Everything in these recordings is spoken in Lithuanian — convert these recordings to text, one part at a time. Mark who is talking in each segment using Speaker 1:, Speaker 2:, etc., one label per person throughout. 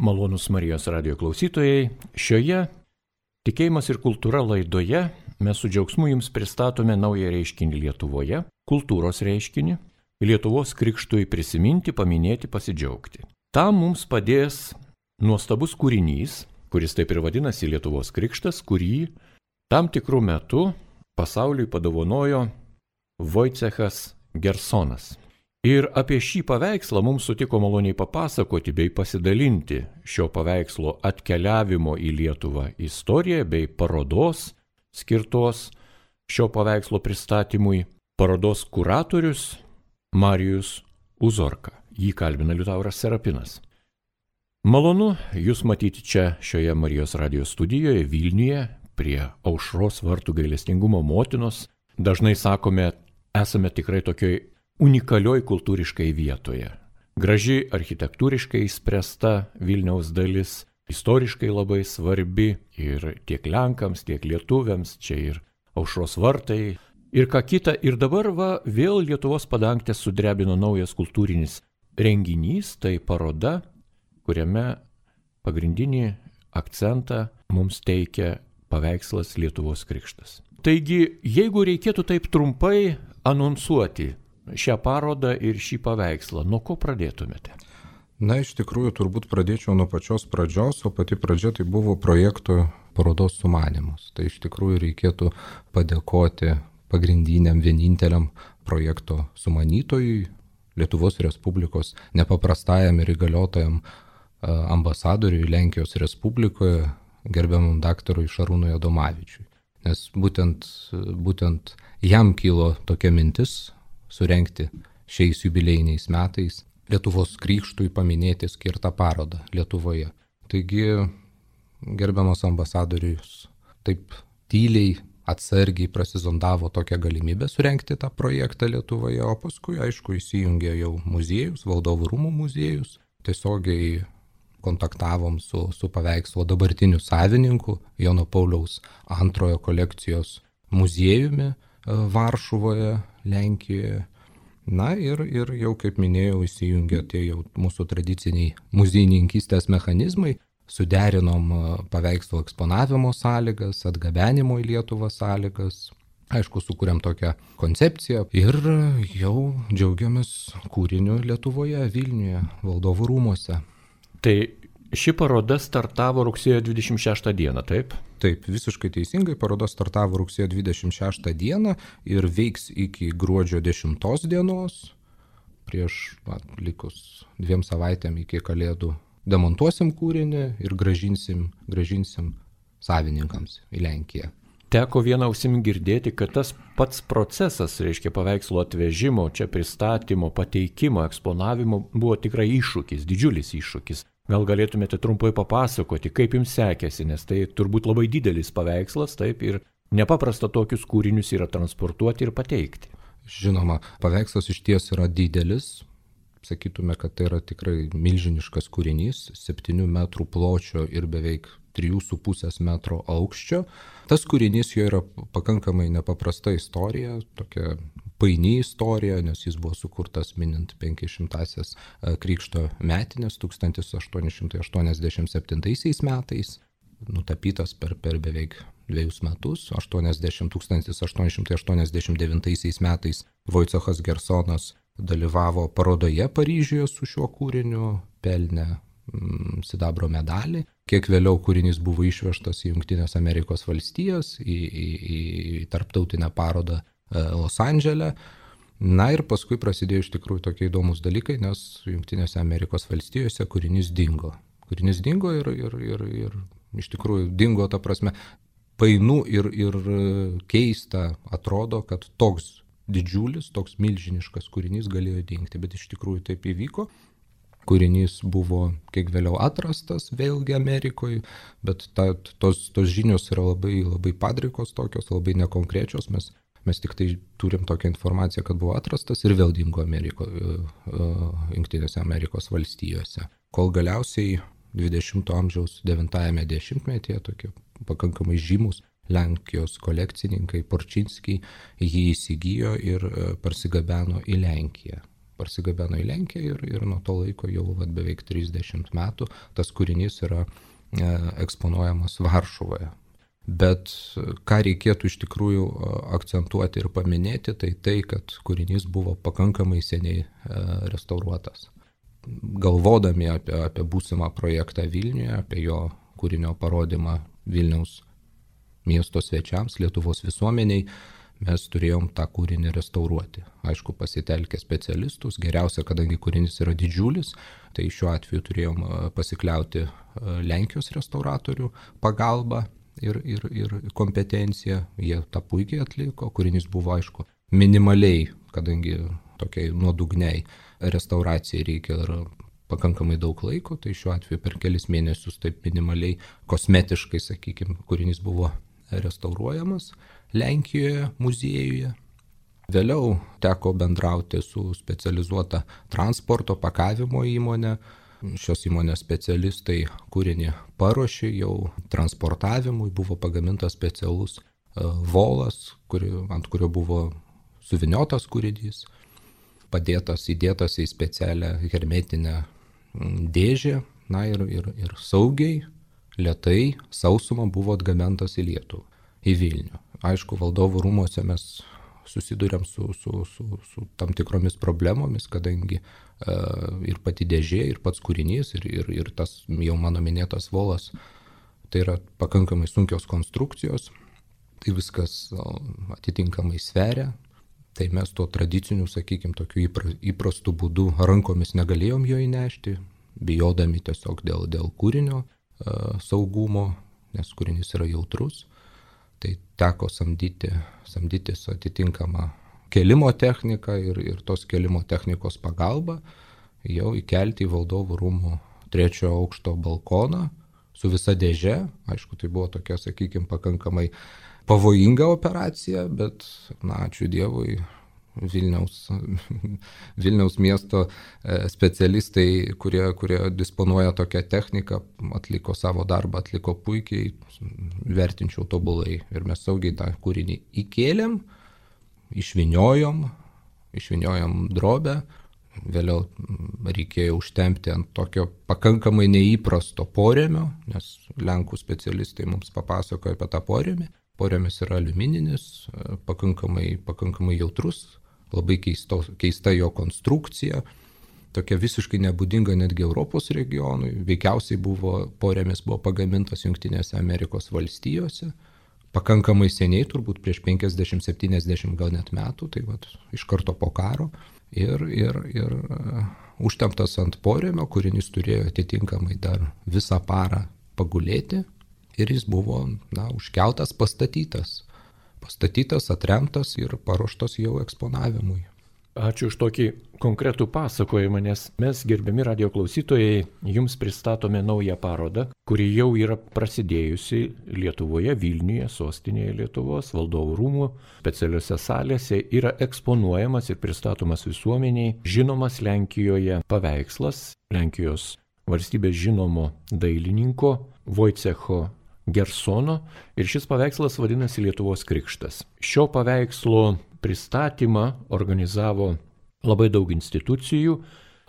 Speaker 1: Malonūs Marijos radijo klausytojai, šioje Tikėjimas ir kultūra laidoje mes su džiaugsmu jums pristatome naują reiškinį Lietuvoje, kultūros reiškinį, Lietuvos krikštui prisiminti, paminėti, pasidžiaugti. Tam mums padės nuostabus kūrinys, kuris taip ir vadinasi Lietuvos krikštas, kurį tam tikrų metų pasauliui padovanojo Vojcechas Gersonas. Ir apie šį paveikslą mums sutiko maloniai papasakoti bei pasidalinti šio paveikslo atkeliavimo į Lietuvą istoriją bei parodos skirtos šio paveikslo pristatymui parodos kuratorius Marijus Uzorka. Jį kalbina Liutauras Serapinas. Malonu jūs matyti čia šioje Marijos radijos studijoje Vilniuje prie Aušros vartų gailestingumo motinos. Dažnai sakome, esame tikrai tokioj unikalioj kultūriškai vietoje. Graži architektūriškai įspręsta Vilniaus dalis, istoriškai labai svarbi ir tiek Lenkams, tiek lietuviams, čia ir Aušros vartai ir ką kita. Ir dabar vėl Lietuvos padangtę sudrebino naujas kultūrinis renginys, tai paroda, kuriame pagrindinį akcentą mums teikia paveikslas Lietuvos krikštas. Taigi, jeigu reikėtų taip trumpai anonsuoti šią parodą ir šį paveikslą, nuo ko pradėtumėte?
Speaker 2: Na, iš tikrųjų, turbūt pradėčiau nuo pačios pradžios, o pati pradžia tai buvo projekto parodos sumanymus. Tai iš tikrųjų reikėtų padėkoti pagrindiniam vieninteliam projekto sumanytojui, Lietuvos Respublikos nepaprastajam ir įgaliotajam ambasadoriui Lenkijos Respublikoje, gerbiamam daktarui Šarūnui Adomavičiui. Nes būtent jam kilo tokia mintis surengti šiais jubiliejiniais metais Lietuvos krikštui paminėti skirtą parodą Lietuvoje. Taigi, gerbiamas ambasadorius taip tyliai, atsargiai prasizondavo tokią galimybę surengti tą projektą Lietuvoje, o paskui, aišku, įsijungė jau muziejus, Valdovų rūmų muziejus, tiesiogiai kontaktavom su paveikslo dabartiniu savininku, Jono Pauliaus II kolekcijos muziejumi Varšuvoje, Lenkijoje. Na ir jau, kaip minėjau, įsijungė tie jau mūsų tradiciniai muziejininkystės mechanizmai, suderinom paveikslo eksponavimo sąlygas, atgabenimo į Lietuvą sąlygas, aišku, sukūrėm tokią koncepciją ir jau džiaugiamės kūriniu Lietuvoje, Vilniuje, Valdovų rūmuose.
Speaker 1: Tai ši paroda startavo rugsėjo 26 dieną, taip?
Speaker 2: Taip, visiškai teisingai, paroda startavo rugsėjo 26 dieną ir veiks iki gruodžio 10 dienos. Prieš likus 2 savaitėm iki Kalėdų demontuosim kūrinį ir grąžinsim savininkams į Lenkiją.
Speaker 1: Teko vieną ausim girdėti, kad tas pats procesas, reiškia paveikslo atvežimo, čia pristatymo, pateikimo, eksponavimo, buvo tikrai iššūkis, didžiulis iššūkis. Gal galėtumėte trumpai papasakoti, kaip jums sekėsi, nes tai turbūt labai didelis paveikslas, taip, ir nepaprasta tokius kūrinius yra transportuoti ir pateikti.
Speaker 2: Žinoma, paveikslas iš ties yra didelis, sakytume, kad tai yra tikrai milžiniškas kūrinys, 7 metrų pločio ir beveik 3,5 metro aukščio. Tas kūrinys jo yra pakankamai nepaprasta istorija, tokia paini istorija, nes jis buvo sukurtas minint 500-asias krikšto metinės 1887 metais, nutapytas per beveik 2 metus, 1889 metais Vojcechas Gersonas dalyvavo parodoje Paryžiuje su šiuo kūriniu, pelnė sidabro medalį. Kiek vėliau kūrinys buvo išvežtas į Jungtines Amerikos valstijas, į tarptautinę parodą Los Andžele. Na ir paskui prasidėjo iš tikrųjų tokie įdomus dalykai, nes Jungtinėse Amerikos valstijose kūrinys dingo. Kūrinys dingo ir iš tikrųjų dingo, ta prasme, painu ir keista atrodo, kad toks didžiulis, toks milžiniškas kūrinys galėjo dingti, bet iš tikrųjų taip įvyko. Kūrinys buvo kiek vėliau atrastas vėlgi Amerikoje, bet tos žinios yra labai, labai padrikos tokios, labai nekonkrečios. Mes tik tai turim tokią informaciją, kad buvo atrastas ir vėl dingo Jungtinėse Amerikos valstijose. Kol galiausiai 20 amžiaus 9-ame dešimtmetyje tokie pakankamai žymus Lenkijos kolekcininkai Porčinskiai jį įsigijo ir parsigabeno į Lenkiją. parsigabeno į Lenkiją ir nuo to laiko jau beveik 30 metų tas kūrinys yra eksponuojamas Varšuvoje. Bet ką reikėtų iš tikrųjų akcentuoti ir paminėti, tai, kad kūrinys buvo pakankamai seniai restauruotas. Galvodami apie būsimą projektą Vilniuje, apie jo kūrinio parodymą Vilniaus miesto svečiams, Lietuvos visuomeniai, mes turėjom tą kūrinį restauruoti. Aišku, pasitelkę specialistus, geriausia, kadangi kūrinys yra didžiulis, tai šiuo atveju turėjom pasikliauti Lenkijos restauratorių pagalbą ir kompetenciją. Jie tą puikiai atliko, kūrinys buvo, aišku, minimaliai, kadangi tokiai nuodugniai restauracijai reikia ir pakankamai daug laiko, tai šiuo atveju per kelis mėnesius taip minimaliai, kosmetiškai, sakykime, kūrinys buvo restauruojamas Lenkijoje, muziejuje. Vėliau teko bendrauti su specializuota transporto pakavimo įmonė. Šios įmonės specialistai kūrinį paruošė jau transportavimui, buvo pagamintas specialus volas, ant kurio buvo suviniotas kūrinys, įdėtas į specialią hermetinę dėžę, ir saugiai, lėtai, sausuma buvo atgabentas į Lietuvą, į Vilnių. Aišku, valdovų rūmuose mes susidurėm su tam tikromis problemomis, kadangi ir pati dėžė, ir pats kūrinys, ir tas jau mano minėtas volas, tai yra pakankamai sunkios konstrukcijos, tai viskas atitinkamai sveria. Tai mes tuo tradiciniu, sakykime, tokiu įprastu būdu rankomis negalėjom jo įnešti, bijodami tiesiog dėl kūrinio saugumo, nes kūrinys yra jautrus. Tai teko samdytis atitinkamą kelimo techniką ir tos kelimo technikos pagalba jau įkelti į valdovų rūmų 3 aukšto balkoną su visa dėže. Aišku, tai buvo tokia, sakykime, pakankamai pavojinga operacija, bet, ačiū Dievui, Vilniaus miesto specialistai, kurie disponuoja tokią techniką, atliko savo darbą, atliko puikiai, vertinčiau tobulai. Ir mes saugiai tą kūrinį įkėlėm, išvyniojom drobę, vėliau reikėjo užtempti ant tokio pakankamai neįprasto porėmio, nes Lenkų specialistai mums papasakojo apie tą porėmį. Porėmis yra aliumininis, pakankamai jautrus, labai keista jo konstrukcija, tokia visiškai nebūdinga netgi Europos regionui. Veikiausiai porėmis buvo pagamintas Jungtinėse Amerikos valstijose, pakankamai seniai, turbūt prieš 50-70 gal net metų, tai iš karto po karo. Ir užtemptas ant porėmio, kūrinys turėjo atitinkamai dar visą parą pagulėti. Ir jis buvo užkeltas, pastatytas, atremtas ir paruoštas jau eksponavimui.
Speaker 1: Ačiū už tokį konkretų pasakojimą, nes mes, gerbiami radijo klausytojai, jums pristatome naują parodą, kuri jau yra prasidėjusi Lietuvoje, Vilniuje, sostinėje Lietuvos, valdovų rūmų, specialiuose salėse, yra eksponuojamas ir pristatomas visuomeniai žinomas Lenkijoje paveikslas, Lenkijos valstybės žinomo dailininko Vojcecho Gersono, ir šis paveikslas vadinasi Lietuvos krikštas. Šio paveikslo pristatymą organizavo labai daug institucijų.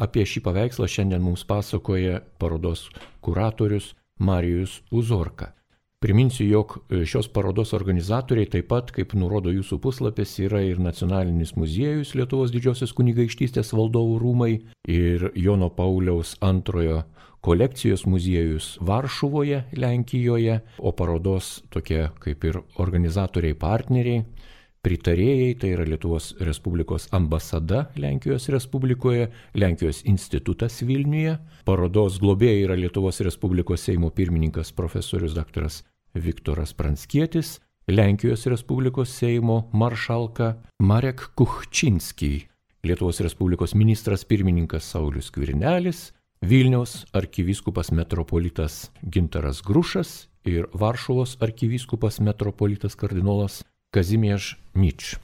Speaker 1: Apie šį paveikslą šiandien mums pasakoja parodos kuratorius Marijus Uzorka. Priminsiu, jog šios parodos organizatoriai taip pat, kaip nurodo jūsų puslapis, yra ir Nacionalinis muziejus Lietuvos Didžiosios kunigaikštystės valdovų rūmai ir Jono Pauliaus II kolekcijos muziejus Varšuvoje, Lenkijoje, o parodos tokie kaip ir organizatoriai partneriai, pritarėjai, tai yra Lietuvos Respublikos ambasada Lenkijos Respublikoje, Lenkijos institutas Vilniuje, parodos globėjai yra Lietuvos Respublikos Seimo pirmininkas profesorius daktaras Viktoras Pranckietis, Lenkijos Respublikos Seimo maršalka Marek Kuchčinski, Lietuvos Respublikos ministras pirmininkas Saulius Skvernelis, Vilniaus arkivyskupas metropolitas Gintaras Grušas ir Varšuvos arkivyskupas metropolitas kardinolas Kazimierz Nič.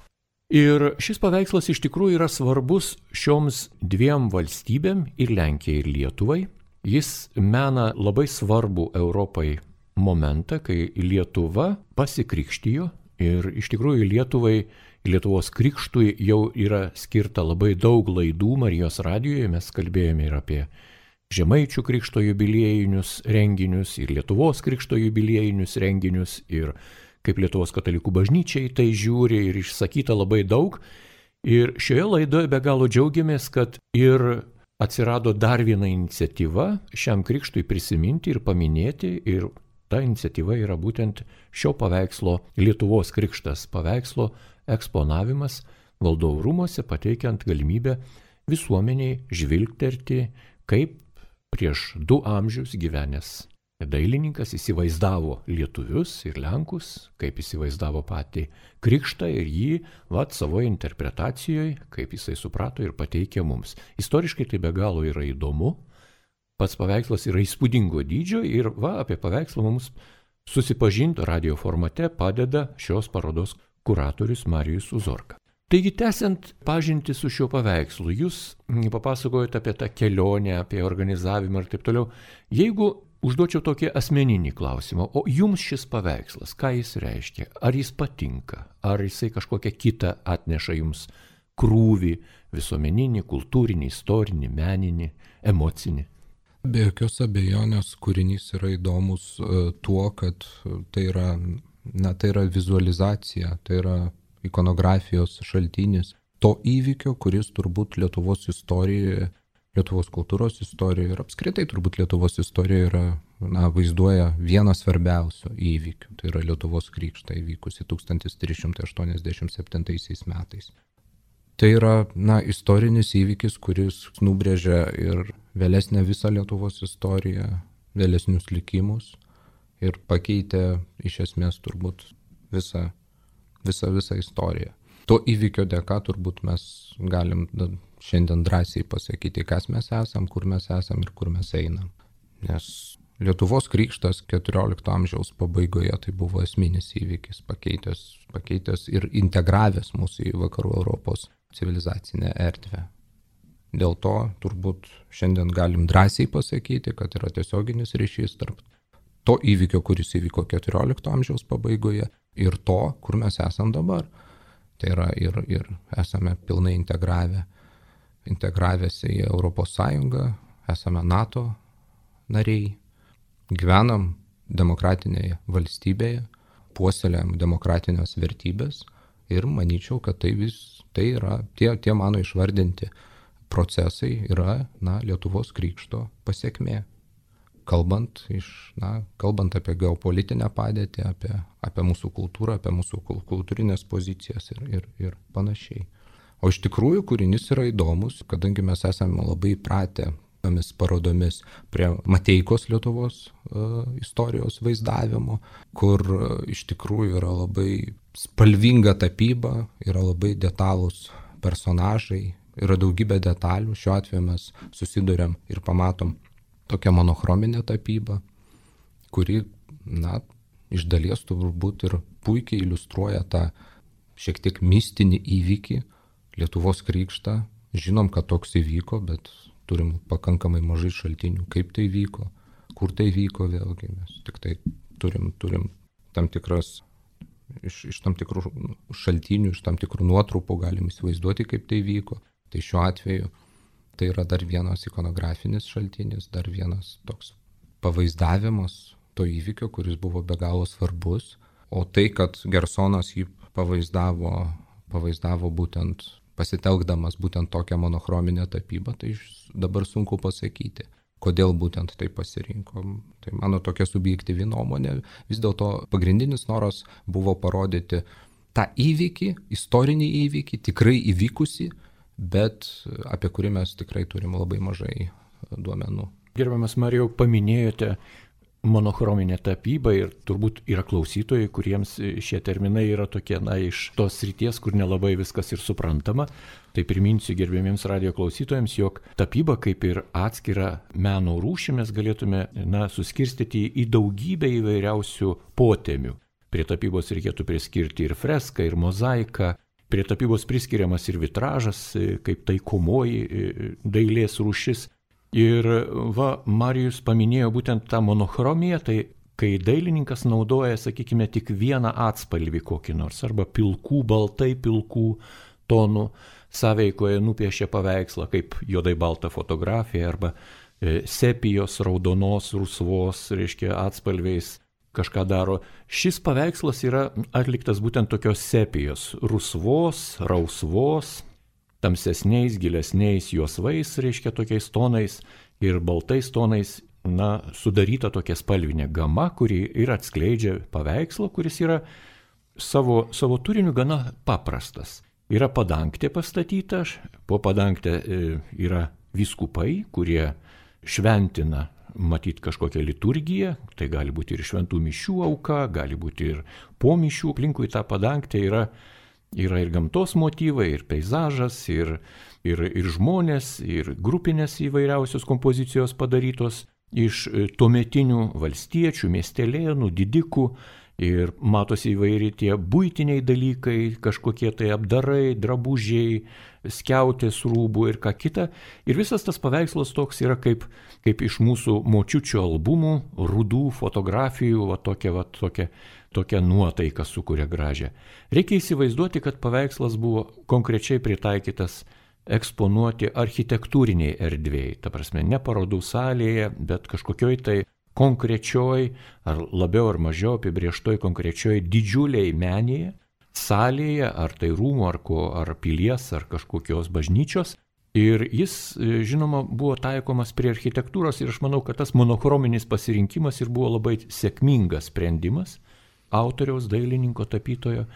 Speaker 1: Ir šis paveikslas iš tikrųjų yra svarbus šioms dviem valstybėm, ir Lenkijai, ir Lietuvai. Jis mena labai svarbų Europai momentą, kai Lietuva pasikrikštijo ir iš tikrųjų Lietuvai Lietuvos krikštui jau yra skirta labai daug laidų Marijos radijoje, mes kalbėjome ir apie Žemaičių krikšto jubiliejinius renginius, ir Lietuvos krikšto jubiliejinius renginius, ir kaip Lietuvos katalikų bažnyčiai tai žiūri, ir išsakyta labai daug. Ir šioje laidoje be galo džiaugiamės, kad ir atsirado dar viena iniciatyva šiam krikštui prisiminti ir paminėti, ir ta iniciatyva yra būtent šio paveikslo Lietuvos krikštas paveikslo eksponavimas valdovų rūmuose, pateikiant galimybę visuomeniai žvilgterti, kaip prieš 2 amžius gyvenęs dailininkas įsivaizdavo lietuvius ir lenkus, kaip įsivaizdavo patį krikštą ir jį savoje interpretacijoje, kaip jisai suprato ir pateikė mums. Istoriškai tai be galo yra įdomu, pats paveikslas yra įspūdingo dydžio ir apie paveikslą mums susipažinti radio formate padeda šios parodos kuratorius Marijus Uzorka. Taigi, tęsiant pažintį su šiuo paveikslu, jūs papasakojate apie tą kelionę, apie organizavimą ir taip toliau. Jeigu užduočiau tokį asmeninį klausimą, o jums šis paveikslas, ką jis reiškia? Ar jis patinka? Ar jisai kažkokią kitą atneša jums krūvį visuomeninį, kultūrinį, istorinį, meninį, emocinį?
Speaker 2: Be jokios abejonės kūrinys yra įdomus tuo, kad tai yra vizualizacija, tai yra ikonografijos šaltinis to įvykio, kuris turbūt Lietuvos istorijoje, Lietuvos kultūros istorijoje ir apskritai turbūt Lietuvos istorijoje vaizduoja vieną svarbiausių įvykių. Tai yra Lietuvos krikštą įvykusi 1387 metais. Tai yra istorinis įvykis, kuris nubrėžia ir vėlesnę visą Lietuvos istoriją, vėlesnius likimus ir pakeitė iš esmės turbūt visą istoriją. To įvykio dėka turbūt mes galim šiandien drąsiai pasakyti, kas mes esam, kur mes esam ir kur mes einam. Nes Lietuvos krikštas 14 amžiaus pabaigoje tai buvo esminis įvykis, pakeitęs ir integravęs mūsų į vakarų Europos civilizacinę erdvę. Dėl to turbūt šiandien galim drąsiai pasakyti, kad yra tiesioginis ryšys tarp to įvykio, kuris įvyko 14 amžiaus pabaigoje, ir to, kur mes esam dabar. Tai yra ir esame pilnai integravęsi į Europos Sąjungą, esame NATO nariai, gyvenam demokratinėje valstybėje, puoselėjam demokratinės vertybės ir manyčiau, kad tai yra tie mano išvardinti procesai yra Lietuvos krikšto pasekmė. Kalbant apie geopolitinę padėtį, apie mūsų kultūrą, apie mūsų kultūrinės pozicijas ir panašiai. O iš tikrųjų kūrinys yra įdomus, kadangi mes esame labai įpratę tomis parodomis prie Mateikos Lietuvos istorijos vaizdavimo, kur iš tikrųjų yra labai spalvinga tapyba, yra labai detalūs personažai, yra daugybė detalių. Šiuo atveju mes susiduriam ir pamatom tokia monochrominė tapyba, kuri, iš dalies turbūt ir puikiai iliustruoja tą šiek tiek mistinį įvykį, Lietuvos krikštą. Žinom, kad toks įvyko, bet turim pakankamai mažai šaltinių, kaip tai vyko, kur tai vyko vėlgi. Mes tik tai turim tam tikras, iš tam tikrų šaltinių, iš tam tikrų nuotrupų galim įsivaizduoti, kaip tai vyko. Tai šiuo atveju tai yra dar vienas ikonografinis šaltinis, dar vienas toks pavaizdavimas to įvykio, kuris buvo be galo svarbus. O tai, kad Gersonas jį pavaizdavo būtent pasitelkdamas būtent tokią monochrominę tapybą, tai dabar sunku pasakyti, kodėl būtent tai pasirinko. Tai mano tokia subjektyvi nuomonė. Vis dėlto pagrindinis noras buvo parodyti tą įvykį, istorinį įvykį, tikrai įvykusi, bet apie kurį mes tikrai turim labai mažai duomenų.
Speaker 1: Gerbiamas Marijau, paminėjote monochrominę tapybą ir turbūt yra klausytojai, kuriems šie terminai yra tokie, iš tos srities, kur nelabai viskas ir suprantama. Tai priminsiu gerbiamiems radio klausytojams, jog tapyba kaip ir atskira meno rūšį mes galėtume suskirstyti į daugybę įvairiausių potemių. Prie tapybos reikėtų priskirti ir freską, ir mozaiką. Prie tapybos priskiriamas ir vitražas, kaip taikomoji dailės rūšis. Ir Marijus paminėjo būtent tą monochromiją, tai kai dailininkas naudoja, sakykime, tik vieną atspalvį kokį nors, arba pilkų, baltai pilkų tonų sąveikoje nupiešia paveikslą, kaip juodai balta fotografija, arba sepijos, raudonos, rusvos, reiškia, atspalviais kažką daro. Šis paveikslas yra atliktas būtent tokios sepijos, rusvos, rausvos, tamsesniais, gilesniais juosvais, reiškia, tokiais tonais ir baltais tonais, sudaryta tokia spalvinė gama, kuri ir atskleidžia paveikslą, kuris yra savo turiniu gana paprastas. Yra padangtė pastatyta, po padangtė yra vyskupai, kurie šventina, matyt, kažkokią liturgiją, tai gali būti ir šventų mišių auka, gali būti ir po mišių, aplinkui tą padangtę yra ir gamtos motyvai, ir peizažas, ir žmonės, ir grupinės įvairiausios kompozicijos padarytos iš tuometinių valstiečių, miestelėnų, didikų, ir matosi įvairiai tie buitiniai dalykai, kažkokie tai apdarai, drabužiai, skiautės rūbų ir ką kita. Ir visas tas paveikslas toks yra kaip iš mūsų močiučių albumų, rudų fotografijų, tokia nuotaika sukuria gražią. Reikia įsivaizduoti, kad paveikslas buvo konkrečiai pritaikytas eksponuoti architektūriniai erdvėjai, ta prasme, ne parodų salėje, bet kažkokioj tai konkrečioj, ar labiau ar mažiau apibrieštoj konkrečioj didžiuliai menėje, salėje, ar tai rūmų, ar pilies, ar kažkokios bažnyčios. Ir jis, žinoma, buvo taikomas prie architektūros ir aš manau, kad tas monochrominis pasirinkimas ir buvo labai sėkmingas sprendimas autoriaus, dailininko, tapytojo,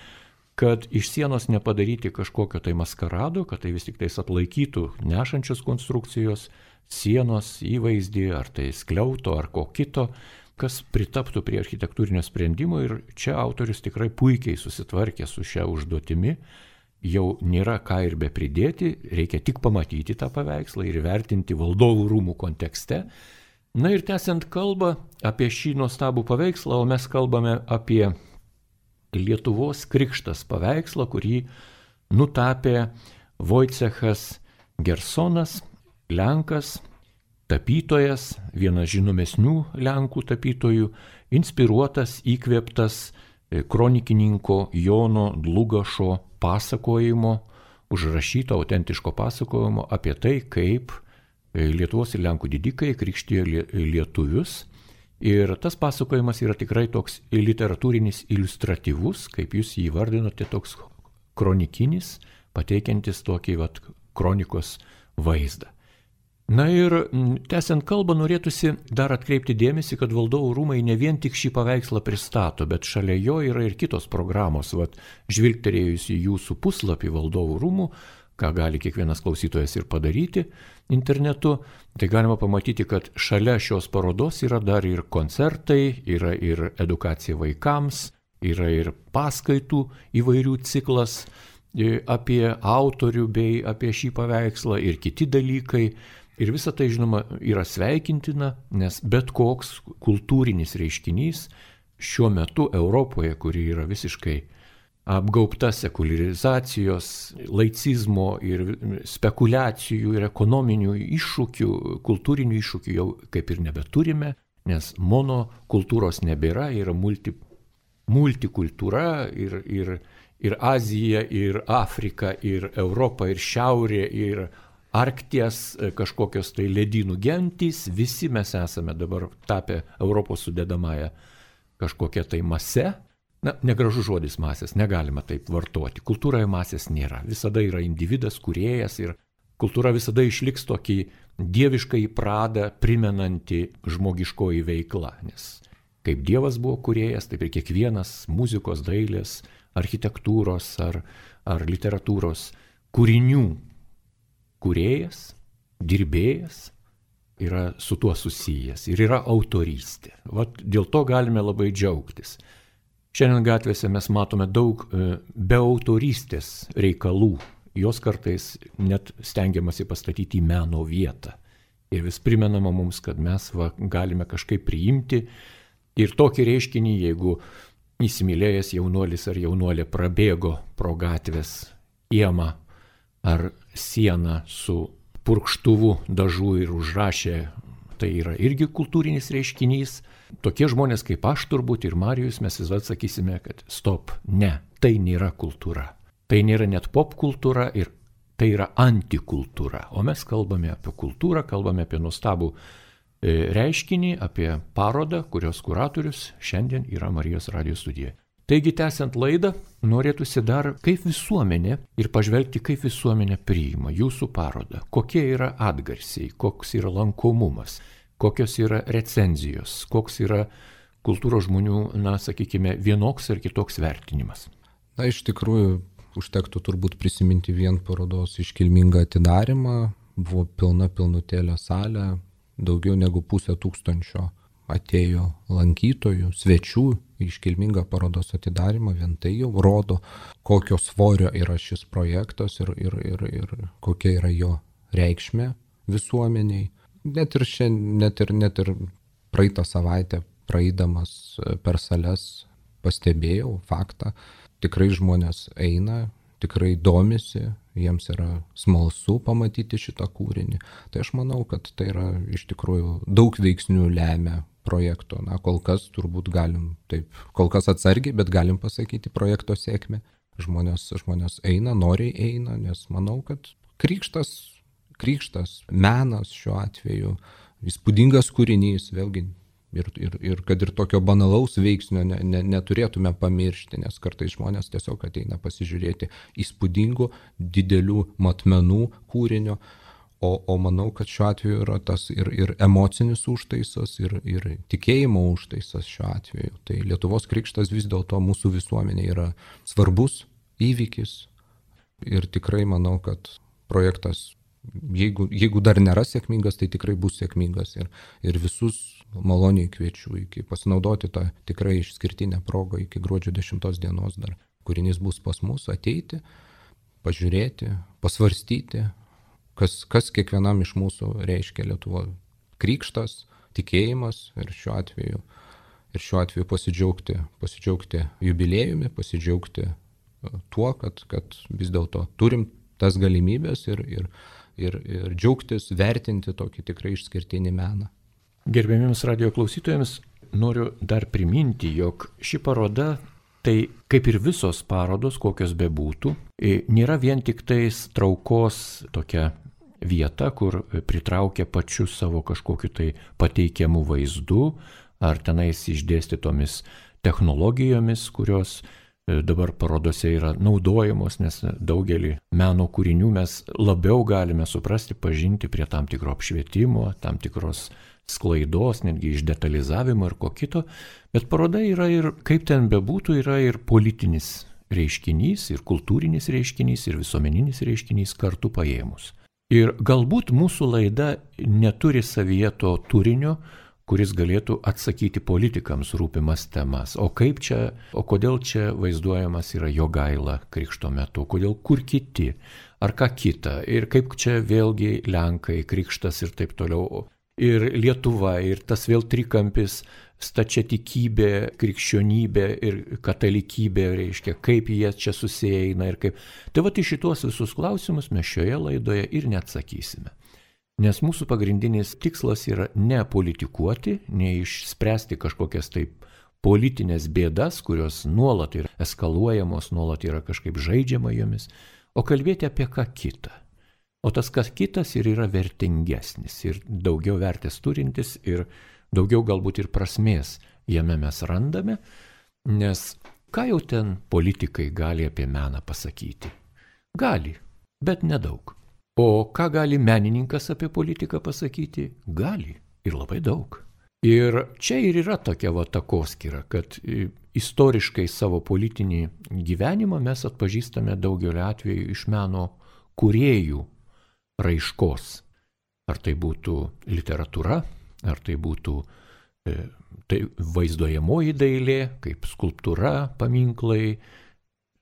Speaker 1: kad iš sienos nepadaryti kažkokio tai maskarado, kad tai vis tik tais atlaikytų nešančios konstrukcijos, sienos įvaizdį, ar tai skliauto, ar ko kito, kas pritaptų prie architektūrinio sprendimo. Ir čia autorius tikrai puikiai susitvarkė su šia užduotimi. Jau nėra ką ir be pridėti, reikia tik pamatyti tą paveikslą ir vertinti valdovų rūmų kontekste. Na ir tęsiant kalbą apie šį nuostabų paveikslą, o mes kalbame apie Lietuvos krikštas paveikslą, kurį nutapė Vojcechas Gersonas, Lenkas, tapytojas, vienas žinomesnių Lenkų tapytojų, inspiruotas, įkvėptas kronikininko Jono Dlugošo pasakojimo, užrašyto autentiško pasakojimo apie tai, kaip Lietuvos ir Lenkų didikai krikštijo lietuvius. Ir tas pasakojimas yra tikrai toks literatūrinis iliustratyvus, kaip jūs jį vardinote, toks kronikinis, pateikiantis tokį kronikos vaizdą. Na ir tęsiant kalbą, norėtųsi dar atkreipti dėmesį, kad valdovų rūmai ne vien tik šį paveikslą pristato, bet šalia jo yra ir kitos programos. Žvilgterėjus į jūsų puslapį valdovų rūmų, ką gali kiekvienas klausytojas ir padaryti internetu, tai galima pamatyti, kad šalia šios parodos yra dar ir koncertai, yra ir edukacija vaikams, yra ir paskaitų įvairių ciklas apie autorių bei apie šį paveikslą ir kiti dalykai. Ir visa tai, žinoma, yra sveikintina, nes bet koks kultūrinis reiškinys šiuo metu Europoje, kuri yra visiškai apgaubta sekuliarizacijos, laicizmo ir spekulacijų ir ekonominių iššūkių, kultūrinių iššūkių jau kaip ir nebeturime, nes monokultūros nebėra, yra multikultūra ir Azija, ir Afrika, ir Europa, ir Šiaurė, ir Arkties kažkokios tai ledynų gentys, visi mes esame dabar tapę Europos sudedamąją kažkokią tai masę. Negražus žodis masės, negalima taip vartoti. Kultūroje masės nėra. Visada yra individas, kūrėjas ir kultūra visada išliks tokį dievišką pradą primenanti žmogiškoji veikla. Nes kaip Dievas buvo kūrėjas, taip ir kiekvienas muzikos, dailės, architektūros ar literatūros kūrinių kūrėjas, dirbėjas yra su tuo susijęs ir yra autorystė. Dėl to galime labai džiaugtis. Šiandien gatvėse mes matome daug be autorystės reikalų. Jos kartais net stengiamasi pastatyti į meno vietą. Ir vis primenama mums, kad mes galime kažkaip priimti ir tokį reiškinį, jeigu įsimylėjęs jaunuolis ar jaunuolė prabėgo pro gatvės kiemą ar sieną su purkštuvu dažų ir užrašė tai yra irgi kultūrinis reiškinys. Tokie žmonės kaip aš turbūt ir Marijus, mes visada sakysime, kad stop, ne, tai nėra kultūra. Tai nėra net pop kultūra ir tai yra antikultūra. O mes kalbame apie kultūrą, kalbame apie nuostabų reiškinį, apie parodą, kurios kuratorius šiandien yra Marijos radijo studijoje. Taigi, tęsiant laidą, norėtųsi dar kaip visuomenė ir pažvelgti, kaip visuomenė priima jūsų parodą, kokie yra atgarsiai, koks yra lankomumas, kokios yra recenzijos, koks yra kultūros žmonių, sakykime, vienoks ar kitoks vertinimas.
Speaker 2: Na, iš tikrųjų, užtektų turbūt prisiminti vien parodos iškilmingą atidarymą, buvo pilnutėlė salė, daugiau negu 500 atėjo lankytojų, svečių iškilmingą parodos atidarymą, vien tai jau rodo, kokio svorio yra šis projektas ir kokia yra jo reikšmė visuomeniai. Net ir praeitą savaitę praeidamas per sales pastebėjau faktą, tikrai žmonės eina, tikrai domisi, jiems yra smalsu pamatyti šitą kūrinį. Tai aš manau, kad tai yra iš tikrųjų daug veiksnių lemia projekto. Na, kol kas turbūt galim taip, kol kas atsargiai, bet galim pasakyti projekto sėkmę. Žmonės eina, noriai eina, nes manau, kad krikštas, menas šiuo atveju, įspūdingas kūrinys, vėlgi, ir kad ir tokio banalaus veiksnio neturėtume pamiršti, nes kartais žmonės tiesiog ateina pasižiūrėti įspūdingų, didelių matmenų kūrinio, o manau, kad šiuo atveju yra tas ir emocinis užtaisas, ir tikėjimo užtaisas šiuo atveju. Tai Lietuvos krikštas vis dėlto mūsų visuomenė yra svarbus įvykis ir tikrai manau, kad projektas, jeigu dar nėra sėkmingas, tai tikrai bus sėkmingas ir visus maloniai kviečiu pasinaudoti tą tikrai išskirtinę progą iki gruodžio 10 dienos dar. Kūrinys bus pas mus, ateiti, pažiūrėti, pasvarstyti, kas kiekvienam iš mūsų reiškia Lietuvo krikštas, tikėjimas ir šiuo atveju pasidžiaugti jubiliejumi, pasidžiaugti tuo, kad vis dėlto turim tas galimybės ir džiaugtis, vertinti tokį tikrai išskirtinį meną.
Speaker 1: Gerbėmiems radijo klausytojams noriu dar priminti, jog ši paroda, tai kaip ir visos parodos, kokios bebūtų, nėra vien tik tais traukos tokia vieta, kur pritraukia pačiu savo kažkokiu tai pateikiamų vaizdų, ar tenais išdėstytomis technologijomis, kurios dabar parodose yra naudojamos, nes daugelį meno kūrinių mes labiau galime suprasti, pažinti prie tam tikro apšvietimo, tam tikros sklaidos, netgi išdetalizavimo ir ko kito, bet paroda yra ir, kaip ten bebūtų, yra ir politinis reiškinys, ir kultūrinis reiškinys, ir visuomeninis reiškinys kartu paėmus. Ir galbūt mūsų laida neturi savyje to turinio, kuris galėtų atsakyti politikams rūpimas temas. O kodėl čia vaizduojamas yra Jogaila krikšto metu, kodėl kur kiti, ar ką kita, ir kaip čia vėlgi Lenkai, krikštas ir taip toliau. Ir Lietuva, ir tas vėl trikampis stačiatikybė, krikščionybė ir katalikybė, reiškia, kaip jie čia susieina ir kaip. Tai va, į šitos visus klausimus mes šioje laidoje ir neatsakysime. Nes mūsų pagrindinis tikslas yra ne politikuoti, ne išspręsti kažkokias taip politinės bėdas, kurios nuolat yra eskaluojamos, nuolat yra kažkaip žaidžiama jomis, o kalbėti apie ką kitą. O tas kas kitas ir yra vertingesnis, ir daugiau vertės turintis, ir daugiau galbūt ir prasmės jame mes randame, nes ką jau ten politikai gali apie meną pasakyti? Gali, bet nedaug. O ką gali menininkas apie politiką pasakyti? Gali, ir labai daug. Ir čia ir yra tokia takoskyra, kad istoriškai savo politinį gyvenimą mes atpažįstame daugelį atvejų iš meno kūrėjų raiškos. Ar tai būtų literatūra, ar tai būtų vaizduojamoji dailė, kaip skulptūra, paminklai,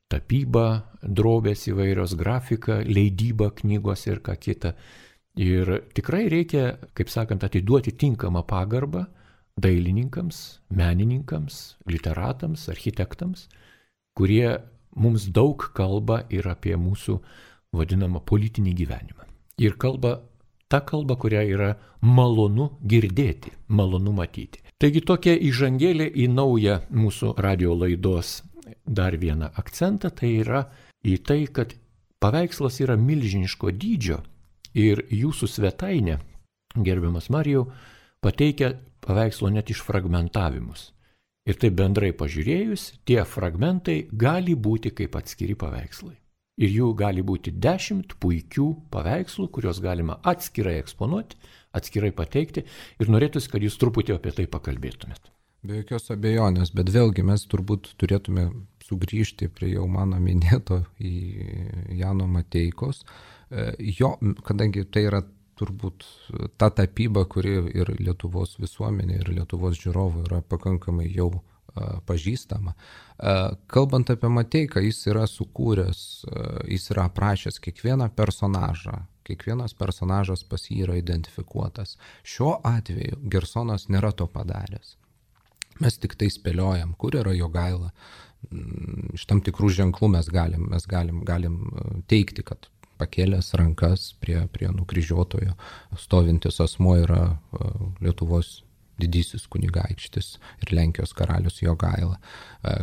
Speaker 1: tapyba, drobės įvairios, grafika, leidyba knygos ir ką kita. Ir tikrai reikia, kaip sakant, atiduoti tinkamą pagarbą dailininkams, menininkams, literatams, architektams, kurie mums daug kalba ir apie mūsų vadinamą politinį gyvenimą. Ir kalba ta kalba, kurią yra malonu girdėti, malonu matyti. Taigi tokia įžangėlė į naują mūsų radio laidos dar vieną akcentą, tai yra į tai, kad paveikslas yra milžiniško dydžio ir jūsų svetainė, gerbiamas Marijau, pateikia paveikslo net išfragmentavimus. Ir taip bendrai pažiūrėjus, tie fragmentai gali būti kaip atskiri paveikslai. Ir jų gali būti 10 puikių paveikslų, kuriuos galima atskirai eksponuoti, atskirai pateikti. Ir norėtųsi, kad jūs truputį apie tai pakalbėtumėt.
Speaker 2: Be jokios abejonės, bet vėlgi mes turbūt turėtume sugrįžti prie jau mano minėto į Jano Mateikos. Kadangi tai yra turbūt ta tapyba, kuri ir Lietuvos visuomenė, ir Lietuvos žiūrovų yra pakankamai jau pažįstama. Kalbant apie Mateiką, jis yra sukūręs, jis yra aprašęs kiekvieną personažą, kiekvienas personažas pas jį yra identifikuotas. Šiuo atveju Gersonas nėra to padaręs. Mes tik tai spėliojam, kur yra Jogaila. Iš tam tikrų ženklų mes galim teikti, kad pakėlęs rankas prie nukryžiuotojo stovintis asmuo yra Lietuvos didysis kunigaikštis ir Lenkijos karalius Jogaila.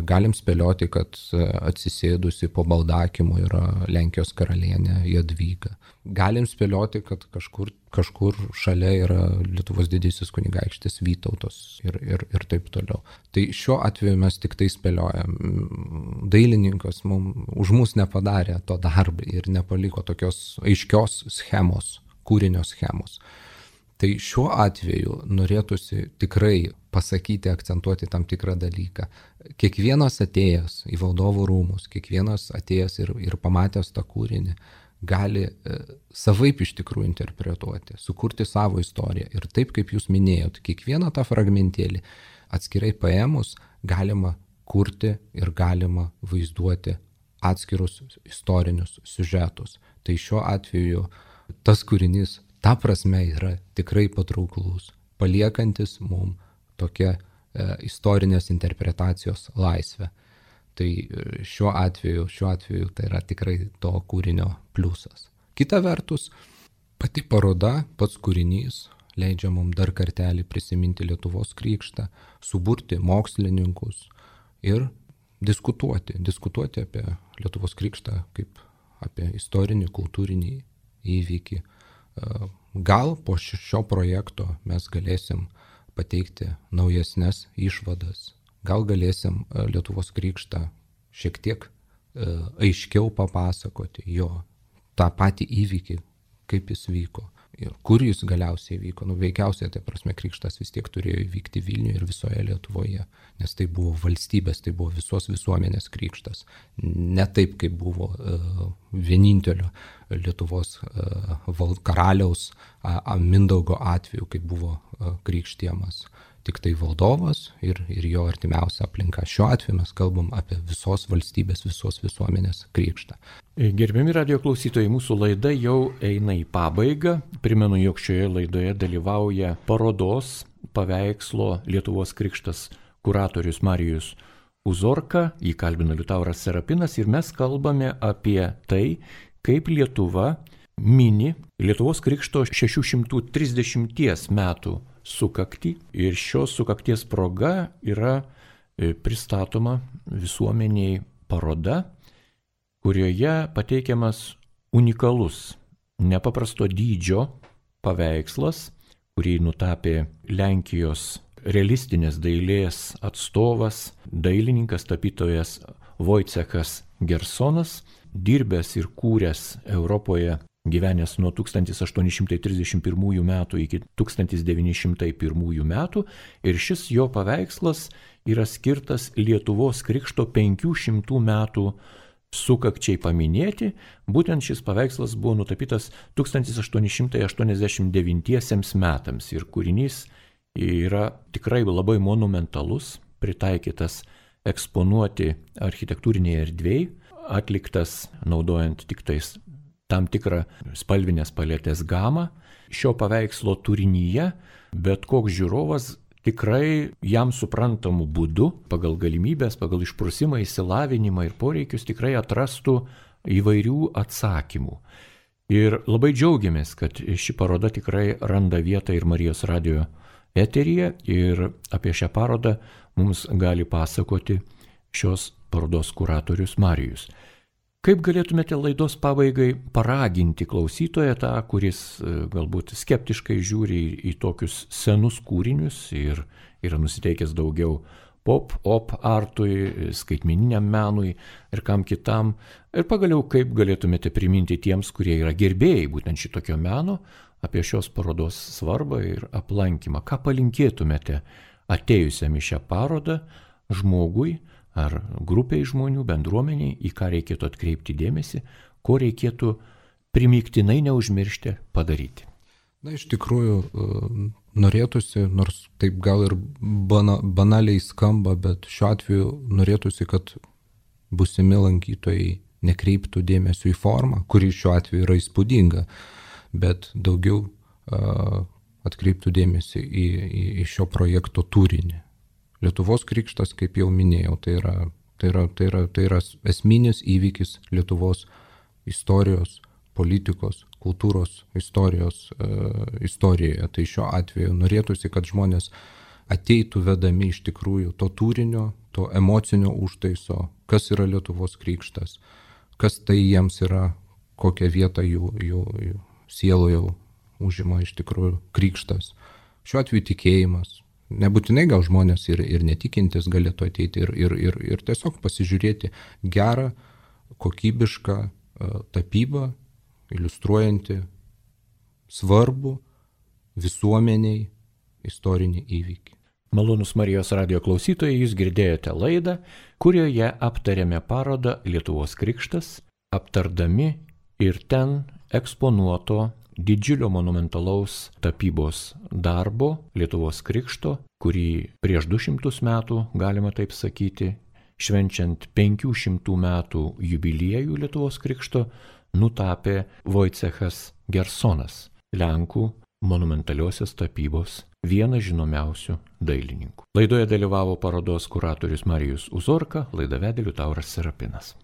Speaker 2: Galim spėlioti, kad atsisėdusi po baldakimu yra Lenkijos karalienė Jadvyga. Galim spėlioti, kad kažkur šalia yra Lietuvos didysis kunigaikštis Vytautas ir taip toliau. Tai šiuo atveju mes tik tai spėliojam. Dailininkas už mus nepadarė to darbą ir nepaliko tokios aiškios schemos, kūrinio schemos. Tai šiuo atveju norėtųsi tikrai pasakyti, akcentuoti tam tikrą dalyką. Kiekvienas atėjęs į valdovų rūmus, kiekvienas atėjęs ir pamatęs tą kūrinį, gali savaip iš tikrųjų interpretuoti, sukurti savo istoriją. Ir taip, kaip jūs minėjot, kiekvieną tą fragmentėlį atskirai paėmus galima kurti ir galima vaizduoti atskirus istorinius siužetus. Tai šiuo atveju tas kūrinys ta prasme yra tikrai patrauklus, paliekantis mums tokią istorinės interpretacijos laisvę. Tai šiuo atveju tai yra tikrai to kūrinio pliusas. Kita vertus, pati paroda, pats kūrinys leidžia mums dar kartelį prisiminti Lietuvos krikštą, suburti mokslininkus ir diskutuoti apie Lietuvos krikštą kaip apie istorinį, kultūrinį įvykį. Gal po šio projekto mes galėsim pateikti naujesnes išvadas, gal galėsim Lietuvos krikštą šiek tiek aiškiau papasakoti jo tą patį įvykį, kaip jis vyko ir kur jis galiausiai vyko. Veikiausiai, tai prasme, krikštas vis tiek turėjo įvykti Vilniuje ir visoje Lietuvoje, nes tai buvo valstybės, tai buvo visos visuomenės krikštas. Ne taip, kaip buvo vienintelio Lietuvos karaliaus Mindaugo atveju, kaip buvo krikštijamas tik tai valdovas ir jo artimiausia aplinka. Šiuo atveju mes kalbam apie visos valstybės, visos visuomenės krikštą.
Speaker 1: Gerbiami radio klausytojai, mūsų laida jau eina į pabaigą. Primenu, jog šioje laidoje dalyvauja parodos paveikslo Lietuvos krikštas kuratorius Marijus Uzorka, jį kalbina Liutauras Serapinas ir mes kalbame apie tai, kaip Lietuva mini Lietuvos krikšto 630 metų sukaktį ir šios sukakties proga yra pristatoma visuomeniai paroda, kurioje pateikiamas unikalus, nepaprasto dydžio paveikslas, kurį nutapė Lenkijos realistinės dailės atstovas, dailininkas, tapytojas Wojciechas Gersonas, dirbęs ir kūręs Europoje, gyvenęs nuo 1831 metų iki 1901 metų ir šis jo paveikslas yra skirtas Lietuvos krikšto 500 metų sukakčiai paminėti. Būtent šis paveikslas buvo nutapytas 1889 metams ir kūrinys yra tikrai labai monumentalus, pritaikytas eksponuoti architektūrinėje erdvėje, atliktas naudojant tik tais tam tikrą spalvinės paletės gamą. Šio paveikslo turinyje bet koks žiūrovas tikrai jam suprantamų būdų, pagal galimybės, pagal išprusimą, išsilavinimą ir poreikius tikrai atrastų įvairių atsakymų. Ir labai džiaugiamės, kad ši paroda tikrai randa vietą ir Marijos radijo eteryje ir apie šią parodą mums gali pasakoti šios parodos kuratorius Marijus. Kaip galėtumėte laidos pabaigai paraginti klausytoją tą, kuris galbūt skeptiškai žiūri į tokius senus kūrinius ir yra nusiteikęs daugiau pop artui, skaitmeniniam menui ir kam kitam. Ir pagaliau, kaip galėtumėte priminti tiems, kurie yra gerbėjai būtent šitokio meno, apie šios parodos svarbą ir aplankymą. Ką palinkėtumėte atėjusiam į šią parodą žmogui ar grupiai žmonių, bendruomeniai, į ką reikėtų atkreipti dėmesį, ko reikėtų primygtinai neužmiršti padaryti?
Speaker 2: Na, iš tikrųjų, norėtųsi, nors taip gal ir banaliai skamba, bet šiuo atveju norėtųsi, kad būsimi lankytojai nekreiptų dėmesio į formą, kuri šiuo atveju yra įspūdinga, bet daugiau atkreiptų dėmesį į šio projekto turinį. Lietuvos krikštas, kaip jau minėjau, tai yra esminis įvykis Lietuvos istorijos, politikos, kultūros istorijoje. Tai šiuo atveju norėtųsi, kad žmonės ateitų vedami iš tikrųjų to turinio, to emocinio užtaiso, kas yra Lietuvos krikštas, kas tai jiems yra, kokią vietą jų sieloje užima iš tikrųjų krikštas. Šiuo atveju tikėjimas. Nebūtinai gal žmonės ir netikintis galėtų ateiti ir tiesiog pasižiūrėti gerą, kokybišką tapybą, iliustruojanti svarbų visuomeniai istorinį įvykį.
Speaker 1: Malonus Marijos radijo klausytojai, jūs girdėjote laidą, kurioje aptarėme parodą Lietuvos krikštas, aptardami ir ten eksponuoto didžiulio monumentalaus tapybos darbo Lietuvos krikšto, kurį prieš 200 metų, galima taip sakyti, švenčiant 500 metų jubiliejų Lietuvos krikšto, nutapė Vojcechas Gersonas, Lenkų monumentaliosios tapybos vienas žinomiausių dailininkų. Laidoje dalyvavo parodos kuratorius Marijus Uzorka, laidą vedė Liutauras Serapinas.